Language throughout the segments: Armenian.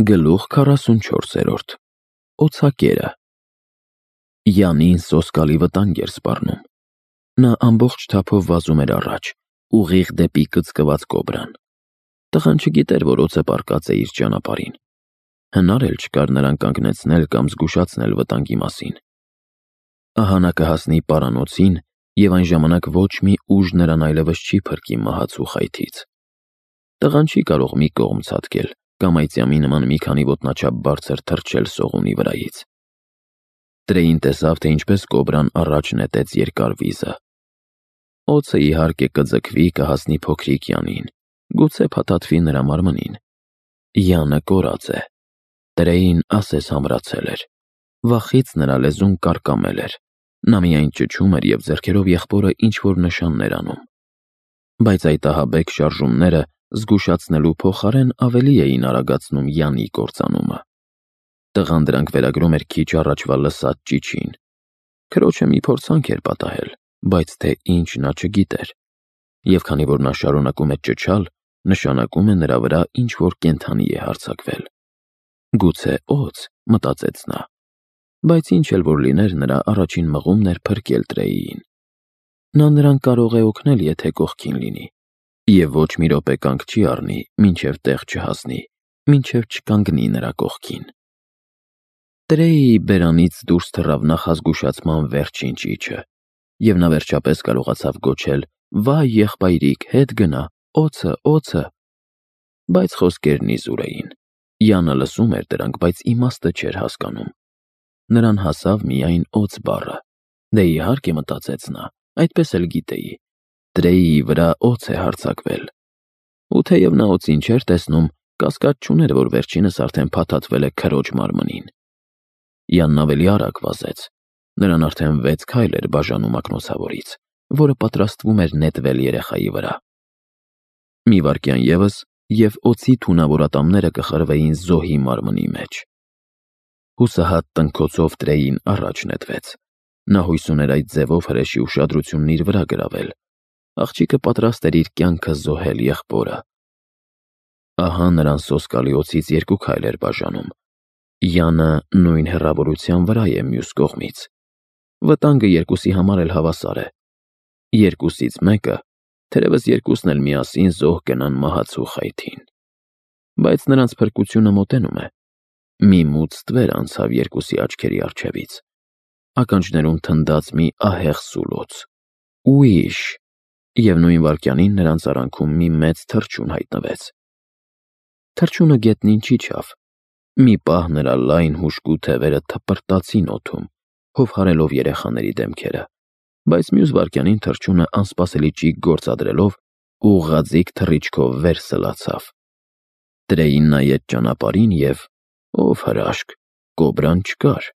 Գլուխ 44 Օձակերը Յանին սոսկալի վտանգ էր սպառնում։ Նա ամբողջ թափով վազում էր առաջ, ուղիղ դեպի կծկված կոբրան։ Տղան չգիտեր, որ օձը պառկած է իր ճանապարհին։ Հնար էլ չկար նրան կանգնեցնել կամ զգուշացնել վտանգի մասին։ Ահա նա կհասնի պարանոցին, և այն ժամանակ ոչ մի ուժ նրան այլևս չի փրկի մահացու խայթից։ Տղան չի կարող մի կողմ ցատկել կամ այծյամի նման մի քանի ոտնաչափ բարձր թռչել սողունի վրայից։ Տրեյին տեսավ, թե ինչպես կոբրան առաջ նետեց երկար վիզը։ Օձը իհարկե կձգվի, կհասնի փոքրիկ Յանին, գուցե փաթաթվի նրա մարմնին։ Յանը կորած է։ Տրեյին ասես համրացել էր։ Վախից նրա լեզուն կարկամել էր։ Նա միայն ճչում էր և ձեռքերով եղբորը ինչ-որ նշաններ անում։ Բայց այդ ահաբեկ շարժումները զգուշացնելու փոխարեն ավելի էին արագացնում Յանի կործանումը։ Տղան դրանք վերագրում էր քիչ առաջվա լսած ճիչին։ Քրոջը մի փորձանք էր պատահել, բայց թե ինչ նա չգիտեր։ Եվ քանի որ նա շարունակում է ճչալ, նշանակում է նրա վրա ինչ-որ կենդանի է հարձակվել։ Գուցե օձ, մտածեց նա։ Բայց ինչ էլ որ լիներ, նրա առաջին մղումն էր փրկել Տրեյին։ Նա նրան կարող է օգնել, եթե կողքին լինի, և ոչ մի րոպե կանգ չի առնի, մինչև տեղ չհասնի, մինչև չկանգնի նրա կողքին։ Տրեյի բերանից դուրս թռավ նախազգուշացման վերջին ճիչը, և նա վերջապես կարողացավ գոչել. «Վայ, եղբայրիկ, հետ գնա, օձը, օձը»։ Բայց խոսքերն իզուր էին։ Յանը լսում էր դրանք, բայց իմաստը չէր հասկանում։ Նրան հասավ միայն օձ բառը։ Դե իհարկե, մտածեց նա, այդպես էլ գիտեի։ Տրեյի վրա օձ է հարձակվել։ Ու թեև նա օձին չէր տեսնում, կասկած չուներ, որ վերջինս արդեն փաթաթվել է քրոջ մարմնին։ Յանն ավելի արագ վազեց։ Նրան արդեն 6 քայլ էր բաժանում ակնոցավորից, որը պատրաստվում էր նետվել երեխայի վրա։ Մի վայրկյան ևս, և օձի թունավոր ատամները կխրվեին զոհի մարմնի մեջ։ Հուսահատ տնքոցով Տրեյին առաջ նետվեց։ Նա հույս ուներ այդ ձևով հրեշի ուշադրությունն իր վրա գրավել։ Աղջիկը պատրաստ էր իր կյանքը զոհել եղբորը։ Ահա նրան սոսկալի օձից 2 քայլ էր բաժանում։ Յանը նույն հեռավորության վրա է մյուս կողմից։ Վտանգը երկուսի համար էլ հավասար է։ Երկուսից մեկը, թերևս երկուսն էլ միասին զոհ կենան մահացու խայթին։ Բայց նրանց փրկությունը մոտենում է։ Մի մութ ստվեր անցավ երկուսի աչքերի առջևից։ Ականջներում թնդաց մի ահեղ սուլոց։ Ույշ։ Եվ նույն վայրկյանին նրանց արանքում մի մեծ թռչուն հայտնվեց։ Թռչունը գետնին չիջավ։ Մի պահ նրա լայն հուժկու թևերը թպրտացին օդում, հովհարելով երեխաների դեմքերը, բայց մյուս վայրկյանին թռչունը անսպասելի ճիգ գործադրելով ուղղաձիգ թռիչքով վեր սլացավ։ Տրեյին նայեց ճանապարհին և, ով հրաշք, կոբրան չկար։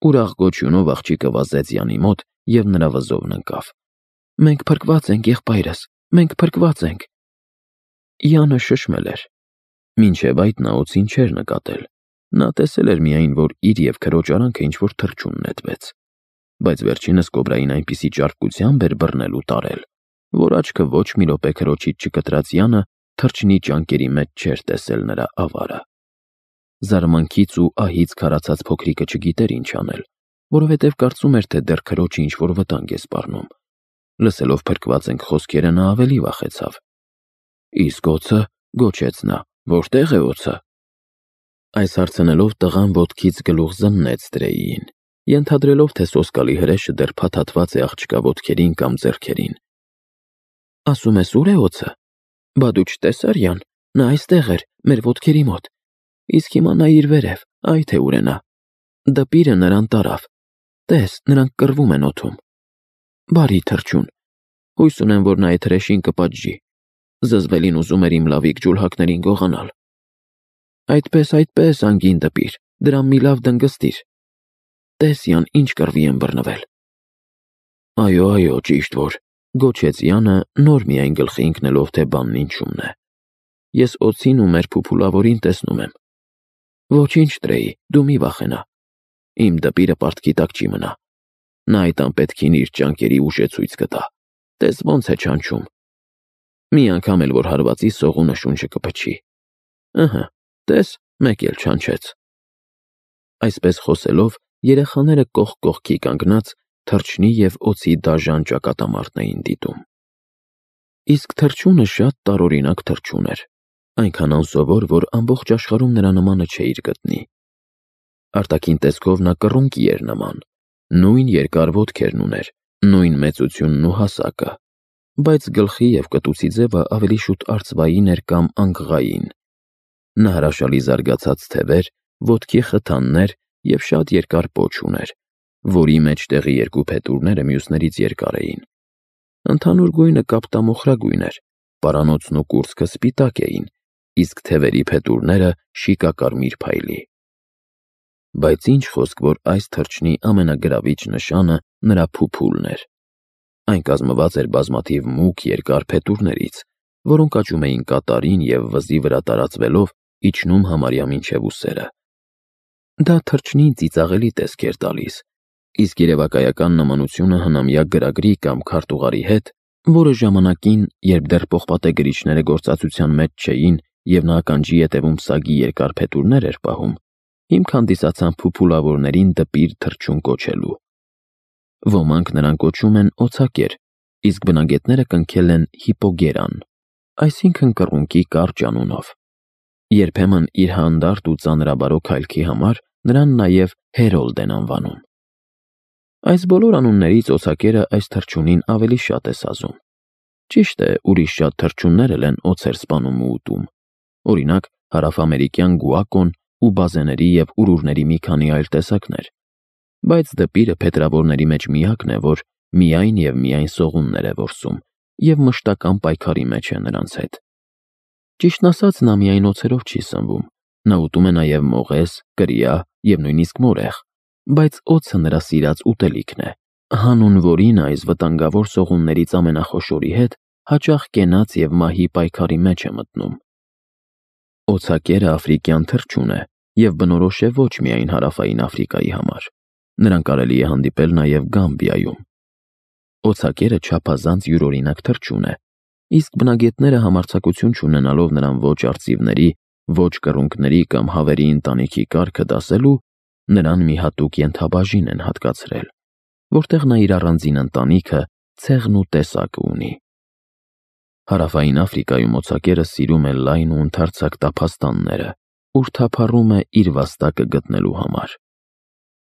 Ուրախ գոչյունով աղջիկը վազեց Յանի մոտ և նրա վզովն ընկավ։ «Մենք փրկված ենք, եղբայրս, մենք փրկված ենք»։ Յանը շշմել էր։ Մինչև այդ նա օձին չէր նկատել։ Նա տեսել էր միայն, որ իր և քրոջ արանքը ինչ-որ թռչուն նետվեց։ Բայց վերջինս կոբրային այնպիսի ճարպկությամբ էր բռնել ու տարել, որ աչքը ոչ մի րոպե քրոջից չկտրած Յանը թռչնի ճանկերի մեջ չէր տեսել նրա ավարը։ Զարմանքից ու ահից քարացած փոքրիկը չգիտեր ինչ անել, որովհետև կարծում էր, թե դեռ քրոջը ինչ-որ վտանգ է սպառնում։ Լսելով «փրկված ենք» խոսքերը նա ավելի վախեցավ։ «Իսկ օձը», գոչեց նա, «որտե՞ղ է օձը»։ Այս հարցնելով տղան ոտքից գլուխ զննեց Տրեյին, ենթադրելով, թե սոսկալի հրեշը դեռ փաթաթված է աղջկա ոտքերին կամ ձեռքերին։ «Ասում ես ուր է օձը։ Բա դու չտեսար Յան, նա այստեղ էր, մեր ոտքերի մոտ։ Իսկ հիմա նայիր վերև, այ թե ուր է նա։ Դպիրը նրան տարավ։ Տես, նրանք կռվում են օդում։ Բարի թռչուն։ Հույս ունեմ, որ նա այդ հրեշին կպատժի։ Զզվելին ուզում էր իմ լավիկ ջուլհակներին գողանալ։ Այդպես, անգին դպիր, դրան մի լավ դնգստիր։ Տես Յան, ինչ կռվի են բռնվել»։ Այո, ճիշտ որ, գոչեց Յանը, նոր միայն գլխի ընկնելով, թե բանն ինչումն է։ Ես օձին ու մեր փուփուլավորին տեսնում եմ։ Ոչինչ, Տրեյ, դու մի վախենա։ Իմ դպիրը պարտքի տակ չի մնա։ Նա այդ անպետքին իր ճանկերի ուժ է ցույց կտա։ Տես ոնց է չանչում։ Մի անգամ էլ որ հարվածի սողունը շունչը կփչի։ Ըհը, տես, մեկ էլ չանչեց։ Այսպես խոսելով, երեխաները կողք կողքի կանգնած թռչնի և օձի դաժան ճակատամարտն էին դիտում։ Իսկ թռչունը շատ տարօրինակ թռչուն էր, այնքան անսովոր, որ ամբողջ աշխարհում նրա նմանը չէիր գտնի։ Արտաքին տեսքով նա կռունկի էր նման, նույն երկար ոտքերն ուներ, նույն մեծությունն ու հասակը, բայց գլխի և կտուցի ձևը ավելի շուտ արծվային էր կամ անգղային։ Նա հրաշալի զարգացած թևեր, ոտքի խթաններ և շատ երկար պոչ ուներ, որի մեջտեղի երկու փետուրները մյուսներից երկար էին։ Ընդհանուր գույնը կապտամոխրագույն էր, պարանոցն ու կուրծքը սպիտակ էին, իսկ թևերի փետուրները շիկակարմիր փայլի։ Բայց ինչ խոսք, որ այս թռչնի ամենագրավիչ նշանը նրա փուփուլն էր։ Այն կազմված էր բազմաթիվ մուգ երկար փետուրներից, որոնք աճում էին կատարին և վզի վրա տարածվելով իջնում համարյա մինչև ուսերը։ Դա թռչնին ծիծաղելի տեսք էր տալիս, իսկ երևակայական նմանությունը հնամյա գրագրի կամ քարտուղարի հետ, որը ժամանակին, երբ դեռ պողպատե գրիչները գործածության մեջ չէին և նա ականջի ետևում սագի երկար փետուրներ էր պահում, հիմք հանդիսացան փուփուլավորներին դպիր թռչուն կոչելու։ Ոմանք նրան կոչում են օձակեր, իսկ բնագետները կնքել են հիպոգերան, այսինքն կռունկի կարճ անունով։ Երբեմն իր հանդարտ ու ծանրաբարոկ հայելքի համար նրան նաև Հերոլդ են անվանում։ Այս բոլոր անուններից օձակերը այս թռչունին ավելի շատ է սազում։ Ճիշտ է, ուրիշ շատ թռչուններ էլ են օձեր սպանում ու ուտում, օրինակ հարավամերիկյան գուակոն ու բազեների և ուրուրների մի քանի այլ տեսակներ, բայց դպիրը փետրավորների մեջ միակն է, որ միայն և միայն սողուններ է որսում և մշտական պայքարի մեջ է նրանց հետ։ Ճիշտն ասած, նա միայն օձերով չի սնվում, նա ուտում է նաև մողես, կրիա և նույնիսկ մորեղ, բայց օձը նրա սիրած ուտելիքն է, հանուն որին այս վտանգավոր սողուններից ամենախոշորի հետ հաճախ կենաց և մահի պայքարի մեջ է մտնում։ Օձակերը աֆրիկյան թռչուն է և բնորոշ է ոչ միայն հարավային Աֆրիկայի համար, նրան կարելի է հանդիպել նաև Գամբիայում։ Օձակերը չափազանց յուրօրինակ թռչուն է, իսկ բնագետները համարձակություն չունենալով նրան ոչ արծիվների, ոչ կռունկների կամ հավերի ընտանիքի կարգը դասելու, նրան մի հատուկ ենթաբաժին են հատկացրել, որտեղ նա իր առանձին ընտանիքը, ցեղն ու տեսակը ունի։ Հարավային Աֆրիկայում օձակերը սիրում է լայն ու ընդարձակ տափաստանները, ուր թափառում է իր վաստակը գտնելու համար։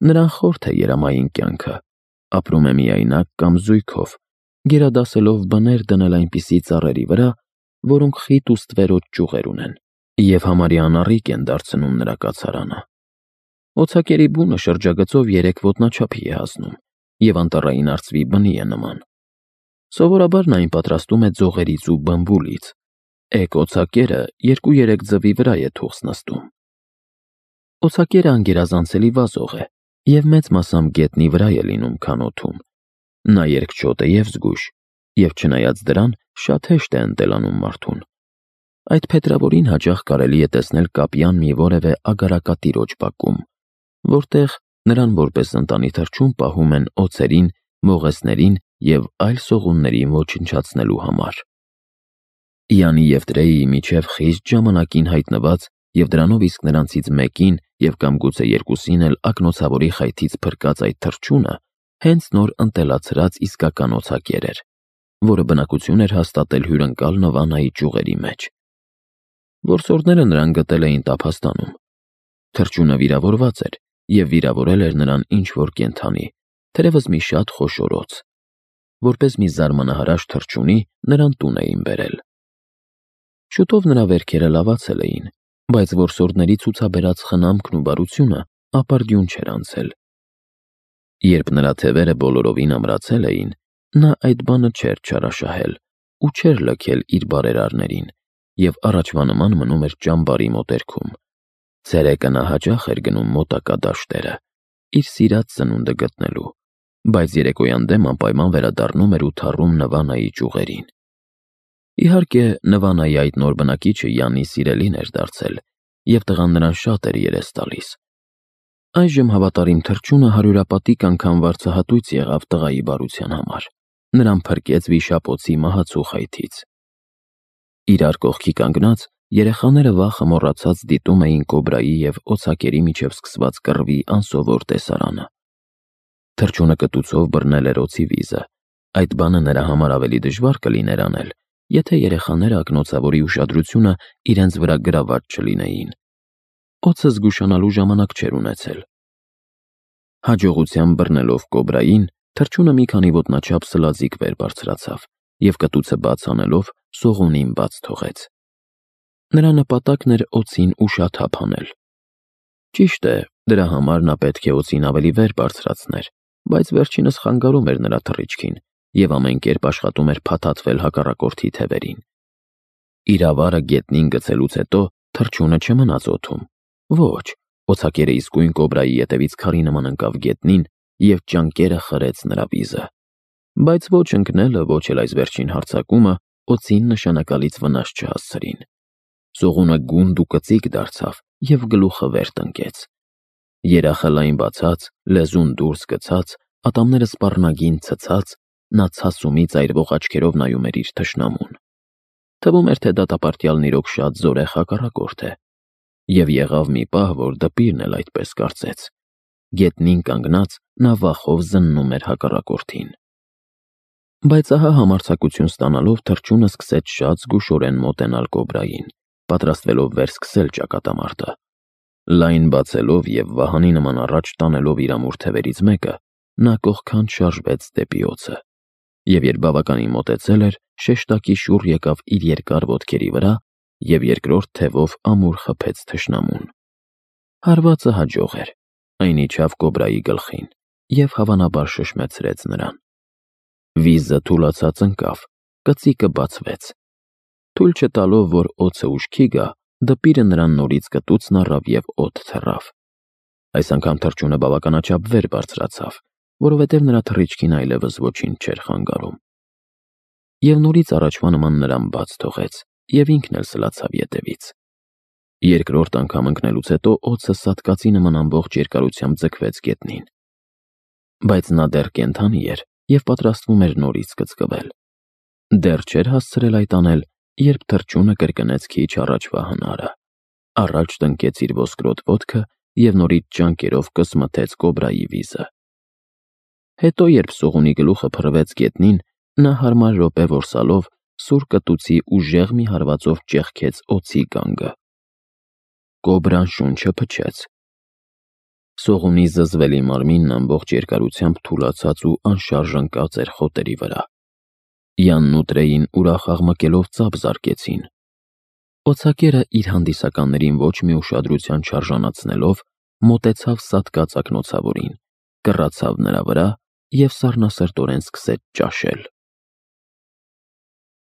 Նրան խորթ է երամային կյանքը, ապրում է միայնակ կամ զույգով, գերադասելով բներ դնել այնպիսի ծառերի վրա, որոնք խիտ ու ստվերոտ ճյուղեր ունեն, և համարյա անառիկ են դարձնում նրա կացարանը։ Օձակերի բունը շրջագծով 3 ոտնաչափի է հասնում և անտառային արծվի բնի է նման։ Սովորաբար նա այն պատրաստում է ձողերից ու բմբուլից, էգ օձակերը 2-3 ձվի վրա է թուղթ նստում։ Օձակերը անգերազանցելի վազող է և մեծ մասամբ գետնի վրա է լինում, քան օդում։ Նա երկչոտ է և զգույշ, և չնայած դրան շատ հեշտ է ընտելանում մարդուն։ Այդ փետրավորին հաճախ կարելի է տեսնել կապյան մի որևէ ագարակատիրոջ բակում, որտեղ նրան որպես ընտանի թռչուն պահում են օձերին, մողեսներին և այլ սողուններին ոչնչացնելու համար։ Յանի և Տրեյի միջև խիստ ժամանակին հայտնված և դրանով իսկ նրանցից մեկին և կամ գուցե երկուսին էլ ակնոցավորի խայթից փրկած այդ թռչունը հենց նոր ընտելացրած իսկական օձակեր էր, որը բնակություն էր հաստատել հյուրընկալ Նվանայի ճյուղերի մեջ։ Որսորդները նրան գտել էին տափաստանում։ Թռչունը վիրավորված էր և վիրավորել էր նրան ինչ-որ կենդանի, թերևս մի շատ խոշոր օձ։ Որպես մի զարմանահրաշ թռչունի նրան տուն էին բերել։ Շուտով նրա վերքերը լավացել էին, բայց որսորդների ցուցաբերած խնամքն ու բարությունը ապարդյուն չէր անցել։ Երբ նրա թևերը բոլորովին ամրացել էին, նա այդ բանը չէր չարաշահել ու չէր լքել իր բարերարներին և առաջվա նման մնում էր ճամբարի մոտերքում։ Ցերեկը նա հաճախ էր գնում մոտակա դաշտերը, իր սիրած սնունդը գտնելու, բայց երեկոյան դեմ անպայման վերադառնում էր ու թառում Նվանայի ճյուղերին։ Իհարկե, Նվանայի այդ նոր բնակիչը Յանի սիրելին էր դարձել, և տղան նրան շատ էր երես տալիս։ Այժմ հավատարիմ թռչունը հարյուրապատիկ անգամ վարձահատույց եղավ տղայի բարության համար, նրան փրկեց վիշապ օձի մահացու խայթից։ Իրար կողքի կանգնած երեխաները վախը մոռացած դիտում էին կոբրայի և օձակերի միջև սկսված կռվի անսովոր տեսարանը։ Թռչունը կտուցով բռնել էր օձի վիզը, այդ բանը նրա համար ավելի դժվար կլիներ անել, եթե երեխաները ակնոցավորի ուշադրությունը իրենց վրա գրաված չլինեին։ Օձը զգուշանալու ժամանակ չէր ունեցել։ Հաջողությամբ բռնելով կոբրային, թռչունը մի քանի ոտնաչափ սլազիկ վեր բարձրացավ և կտուցը բաց անելով սողունին բաց թողեց։ Նրա նպատակն էր օձին ուշաթափ անել։ Ճիշտ է, դրա համար նա պետք է օձին ավելի վեր բարձրացներ, բայց վերջինս խանգարում էր նրա թռիչքին և ամեն կերպ աշխատում էր փաթաթվել հակառակորդի թևերին։ Իր ավարը գետնին գցելուց հետո թռչունը չմնաց օդում։ Ոչ, օձակերը իսկույն կոբրայի ետևից քարի նման ընկավ գետնին և ճանկերը խրեց նրա վիզը։ Բայց ոչ ընկնելը, ոչ էլ այս վերջին հարձակումը օձին նշանակալից վնաս չհասցրին։ Սողունը գունդ ու կծիկ դարձավ և գլուխը վեր տնկեց։ Երախը լայն բացած, լեզուն դուրս գցած, ատամները սպառնագին ցցած, նա ցասումից այրվող աչքերով նայում էր իր թշնամուն։ Թվում էր, թե դատապարտյալն իրոք շատ զորեղ հակառակորդ է։ Եվ եղավ մի պահ, որ դպիրն էլ այդպես կարծեց։ Գետնին կանգնած նա վախով զննում էր հակառակորդին։ Բայց ահա համարձակություն ստանալով թռչունը սկսեց շատ զգուշորեն մոտենալ կոբրային, պատրաստվելով վերսկսել ճակատամարտը։ Լայն բացելով և վահանի նման առաջ տանելով իր ամուր թևերից մեկը, նա կողքան շարժվեց դեպի օձը։ Եվ երբ բավականին մոտեցել էր, շեշտակի շուռ եկավ իր երկար ոտքերի վրա և երկրորդ թևով ամուր խփեց թշնամուն։ Հարվածը հաջող էր, այն իջավ կոբրայի գլխին և հավանաբար շշմեցրեց նրան։ Վիզը թուլացած ընկավ, կծիկը բացվեց։ Թույլ չտալով, որ օձը ուշքի գա, դպիրը նրան նորից կտուցն առավ և օդ թռավ։ Այս անգամ թռչունը բավականաչափ վեր բարձրացավ, որովհետև նրա թռիչքին այլևս ոչինչ չէր խանգարում։ Եվ նորից առաջվա նման նրան բաց թողեց և ինքն էլ սլացավ ետևից։ Երկրորդ անգամ ընկնելուց հետո օձը սատկածի նման ամբողջ երկարությամբ ձգվեց գետնին։ Բայց նա դեռ կենդանի էր և պատրաստվում էր նորից կծկվել։ Դեռ չէր հասցրել այդ անել, երբ թռչունը կրկնեց քիչ առաջվա հնարը, առաջ տնկեց իր ոսկրոտ ոտքը և նորից ճանկերով կսմթեց կոբրայի վիզը։ Հետո, երբ սողունի գլուխը փռվեց գետնին, նա հարմար րոպե որսալով սուր կտուցի ուժեղ մի հարվածով ճեղքեց օձի գանգը։ Կոբրան շունչը փչեց։ Սողունի զզվելի մարմինն ամբողջ երկարությամբ թուլացած ու անշարժ ընկած էր խոտերի վրա։ Յանն ու Տրեին ուրախ աղմկելով ծափ զարկեցին։ Օձակերը իր հանդիսականներին ոչ մի ուշադրության չարժանացնելով մոտեցավ սատկած ակնոցավորին, կռացավ նրա վրա և սառնասրտորեն սկսեց ճաշել։